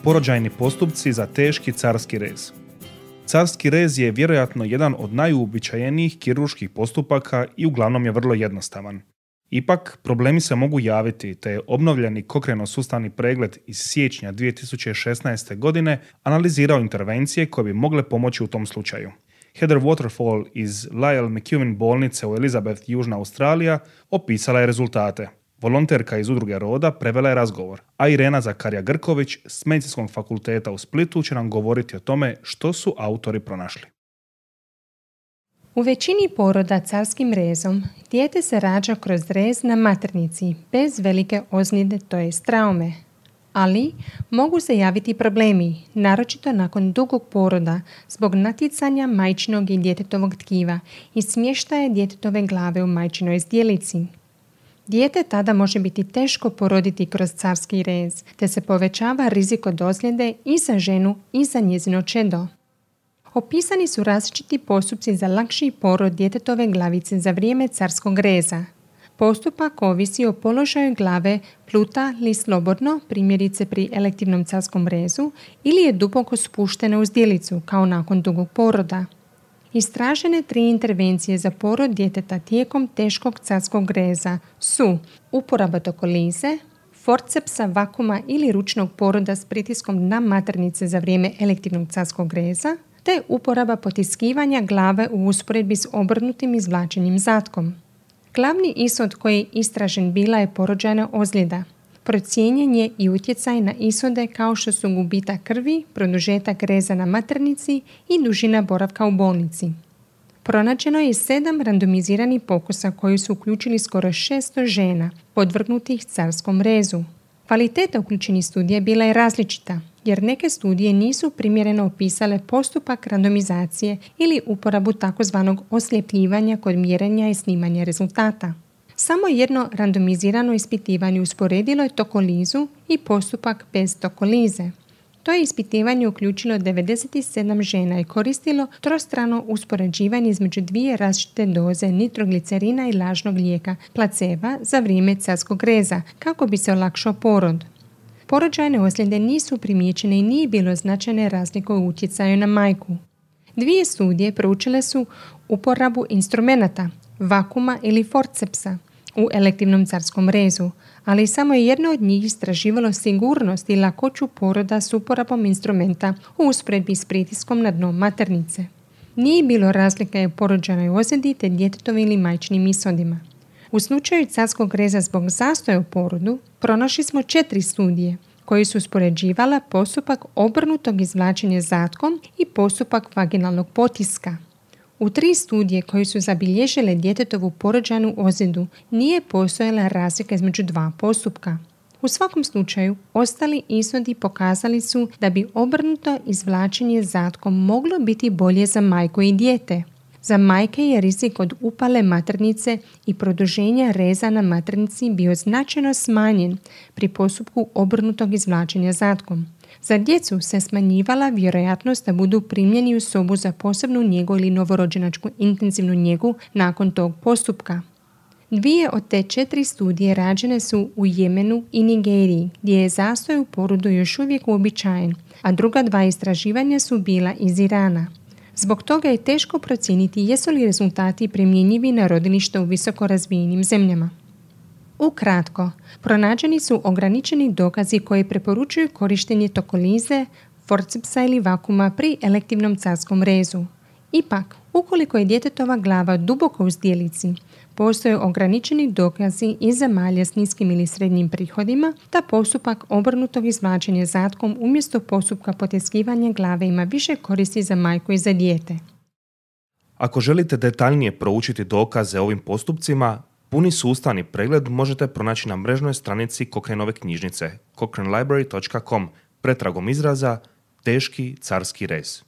Porođajni postupci za teški carski rez. Carski rez je vjerojatno jedan od najuobičajenijih kirurških postupaka i uglavnom je vrlo jednostavan. Ipak, problemi se mogu javiti, te je obnovljeni kokreno-sustavni pregled iz siječnja 2016. godine analizirao intervencije koje bi mogle pomoći u tom slučaju. Heather Waterfall iz Lyell McEwen bolnice u Elizabeth, Južna Australija, opisala je rezultate. Volonterka iz udruge Roda prevela je razgovor, a Irena Zakarija-Grković s Medicinskog fakulteta u Splitu će nam govoriti o tome što su autori pronašli. U većini poroda carskim rezom dijete se rađa kroz rez na maternici bez velike ozljede, to jest traume. Ali mogu se javiti problemi, naročito nakon dugog poroda, zbog natjecanja majčinog i djetetovog tkiva i smještaja djetetove glave u majčinoj zdjelici. Dijete tada može biti teško poroditi kroz carski rez, te se povećava rizik od ozljede i za ženu i za njezino čedo. Opisani su različiti postupci za lakši porod djetetove glavice za vrijeme carskog reza. Postupak ovisi o položaju glave, pluta li slobodno, primjerice pri elektivnom carskom rezu, ili je duboko spuštena u zdjelicu, kao nakon dugog poroda. Istražene 3 intervencije za porod djeteta tijekom teškog carskog reza su uporaba tokolize, forcepsa, vakuma ili ručnog poroda s pritiskom na maternice za vrijeme elektivnog carskog reza, te uporaba potiskivanja glave u usporedbi s obrnutim izvlačenjem zatkom. Glavni ishod koji je istražen bila je porođajna ozljeda. Procijenjen je i utjecaj na ishode kao što su gubitak krvi, produžetak reza na maternici i dužina boravka u bolnici. Pronađeno je 7 randomiziranih pokusa koji su uključili skoro 600 žena podvrgnutih carskom rezu. Kvaliteta uključenih studija bila je različita, jer neke studije nisu primjereno opisale postupak randomizacije ili uporabu tzv. Osljepljivanja kod mjerenja i snimanja rezultata. Samo jedno randomizirano ispitivanje usporedilo je tokolizu i postupak bez tokolize. To je ispitivanje uključilo 97 žena i koristilo trostrano uspoređivanje između 2 različite doze nitroglicerina i lažnog lijeka placeba za vrijeme carskog reza kako bi se olakšao porod. Porođajne ozljede nisu primijećene i nije bilo značajne razlike u utjecaju na majku. 2 studije proučile su uporabu instrumenata, vakuma ili forcepsa u elektivnom carskom rezu, ali samo je jedno od njih istraživalo sigurnost i lakoću poroda s uporabom instrumenta u usporedbi s pritiskom na dno maternice. Nije bilo razlike u porođajnoj ozljedi te djetetovim ili majčinim ishodima. U slučaju carskog reza zbog zastoja u porodu pronašli smo 4 studije koji su uspoređivala postupak obrnutog izvlačenja zatkom i postupak vaginalnog potiska. U 3 studije koje su zabilježile djetetovu porođajnu ozljedu nije postojala razlika između 2 postupka. U svakom slučaju, ostali ishodi pokazali su da bi obrnuto izvlačenje zatkom moglo biti bolje za majku i dijete. Za majke je rizik od upale maternice i produženja reza na maternici bio značajno smanjen pri postupku obrnutog izvlačenja zatkom. Za djecu se smanjivala vjerojatnost da budu primljeni u sobu za posebnu njegu ili novorođenačku intenzivnu njegu nakon tog postupka. 2 od te 4 studije rađene su u Jemenu i Nigeriji, gdje je zastoj u porodu još uvijek uobičajen, a druga 2 istraživanja su bila iz Irana. Zbog toga je teško procijeniti jesu li rezultati primjenjivi na rodilište u visoko razvijenim zemljama. Ukratko, pronađeni su ograničeni dokazi koji preporučuju korištenje tokolize, forcepsa ili vakuma pri elektivnom carskom rezu. Ipak, ukoliko je djetetova glava duboko u zdjelici, postoje ograničeni dokazi iz zemalja s niskim ili srednjim prihodima da postupak obrnutog izvlačenja zatkom umjesto postupka potiskivanja glave ima više koristi za majku i za dijete. Ako želite detaljnije proučiti dokaze o ovim postupcima, puni sustavni pregled možete pronaći na mrežnoj stranici Cochraneove knjižnice cochranelibrary.com pretragom izraza teški carski rez.